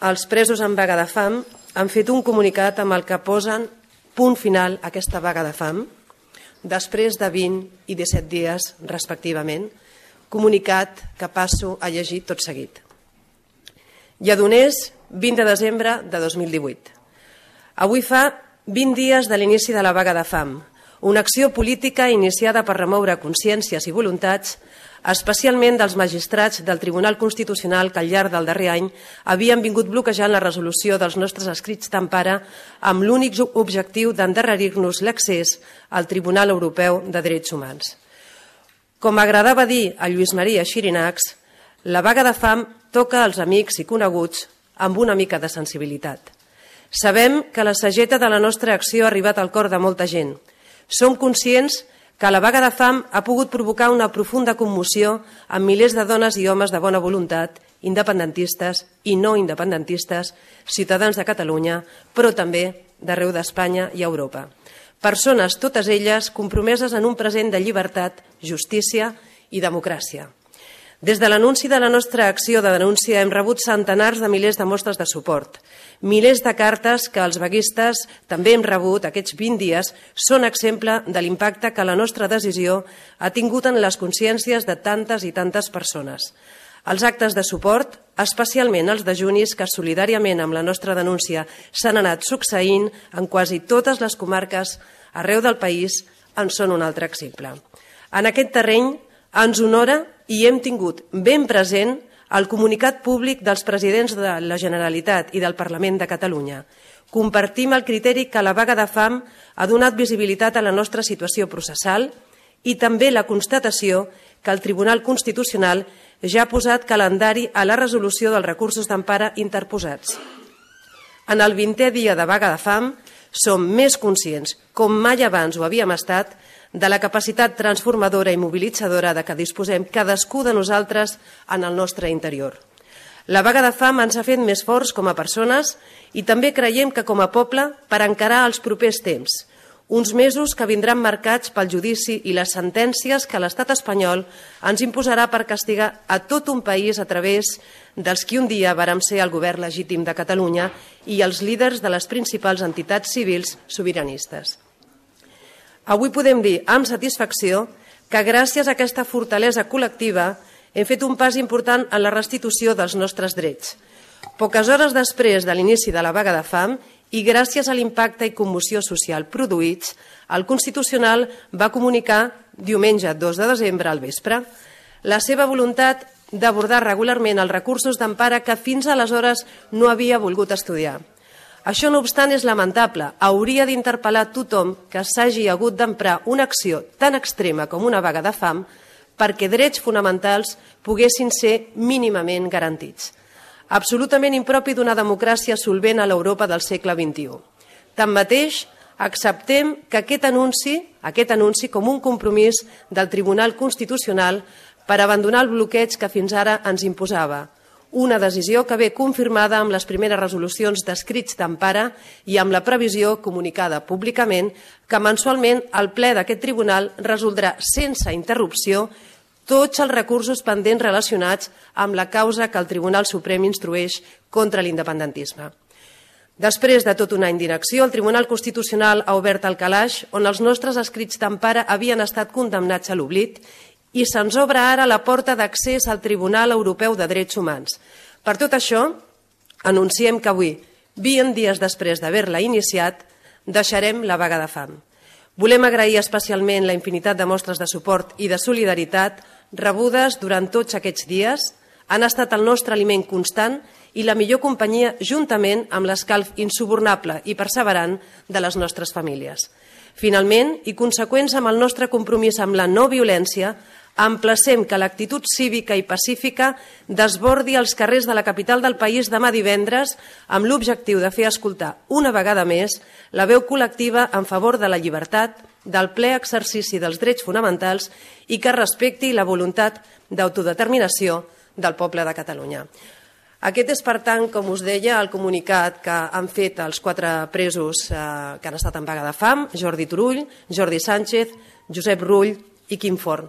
els presos en vaga de fam han fet un comunicat amb el que posen punt final a aquesta vaga de fam, després de 20 i 17 dies, respectivament, comunicat que passo a llegir tot seguit. Lledoners, 20 de desembre de 2018. Avui fa 20 dies de l'inici de la vaga de fam, una acció política iniciada per remoure consciències i voluntats, especialment dels magistrats del Tribunal Constitucional que al llarg del darrer any havien vingut bloquejant la resolució dels nostres escrits d'empara amb l'únic objectiu d'endarrerir-nos l'accés al Tribunal Europeu de Drets Humans. Com agradava dir a Lluís Maria Xirinacs, la vaga de fam toca als amics i coneguts amb una mica de sensibilitat. Sabem que la sageta de la nostra acció ha arribat al cor de molta gent. Som conscients que la vaga de fam ha pogut provocar una profunda commoció amb milers de dones i homes de bona voluntat, independentistes i no independentistes, ciutadans de Catalunya, però també d'arreu d'Espanya i Europa. Persones, totes elles, compromeses en un present de llibertat, justícia i democràcia. Des de l'anunci de la nostra acció de denúncia hem rebut centenars de milers de mostres de suport. Milers de cartes que els vaguistes també hem rebut aquests 20 dies són exemple de l'impacte que la nostra decisió ha tingut en les consciències de tantes i tantes persones. Els actes de suport, especialment els dejunis que solidàriament amb la nostra denúncia s'han anat succeint en quasi totes les comarques arreu del país, en són un altre exemple. En aquest terreny ens honora i hem tingut ben present el comunicat públic dels presidents de la Generalitat i del Parlament de Catalunya. Compartim el criteri que la vaga de fam ha donat visibilitat a la nostra situació processal i també la constatació que el Tribunal Constitucional ja ha posat calendari a la resolució dels recursos d'empara interposats. En el 20è dia de vaga de fam som més conscients, com mai abans ho havíem estat, de la capacitat transformadora i mobilitzadora de què disposem cadascú de nosaltres en el nostre interior. La vaga de fam ens ha fet més forts com a persones i també creiem que com a poble per encarar els propers temps, uns mesos que vindran marcats pel judici i les sentències que l'estat espanyol ens imposarà per castigar a tot un país a través dels qui un dia vàrem ser el govern legítim de Catalunya i els líders de les principals entitats civils sobiranistes. Avui podem dir amb satisfacció que gràcies a aquesta fortalesa col·lectiva hem fet un pas important en la restitució dels nostres drets. Poques hores després de l'inici de la vaga de fam i gràcies a l'impacte i commoció social produïts, el Constitucional va comunicar diumenge 2 de desembre al vespre la seva voluntat d'abordar regularment els recursos d'empara que fins aleshores no havia volgut estudiar. Això, no obstant, és lamentable. Hauria d'interpel·lar tothom que s'hagi hagut d'emprar una acció tan extrema com una vaga de fam perquè drets fonamentals poguessin ser mínimament garantits. Absolutament impropi d'una democràcia solvent a l'Europa del segle XXI. Tanmateix, acceptem que aquest anunci com un compromís del Tribunal Constitucional per abandonar el bloqueig que fins ara ens imposava. Una decisió que ve confirmada amb les primeres resolucions d'escrits d'empara i amb la previsió comunicada públicament que mensualment el ple d'aquest tribunal resoldrà sense interrupció tots els recursos pendents relacionats amb la causa que el Tribunal Suprem instrueix contra l'independentisme. Després de tot un any d'inacció, el Tribunal Constitucional ha obert el calaix on els nostres escrits d'empara havien estat condemnats a l'oblit i se'ns obre ara la porta d'accés al Tribunal Europeu de Drets Humans. Per tot això, anunciem que avui, 20 dies després d'haver-la iniciat, deixarem la vaga de fam. Volem agrair especialment la infinitat de mostres de suport i de solidaritat rebudes durant tots aquests dies. Han estat el nostre aliment constant i la millor companyia juntament amb l'escalf insubornable i perseverant de les nostres famílies. Finalment, i conseqüents amb el nostre compromís amb la no violència, emplacem que l'actitud cívica i pacífica desbordi els carrers de la capital del país demà divendres amb l'objectiu de fer escoltar una vegada més la veu col·lectiva en favor de la llibertat, del ple exercici dels drets fonamentals i que respecti la voluntat d'autodeterminació del poble de Catalunya. Aquest és, per tant, com us deia, el comunicat que han fet els 4 presos que han estat en vaga de fam, Jordi Turull, Jordi Sánchez, Josep Rull i Quim Forn.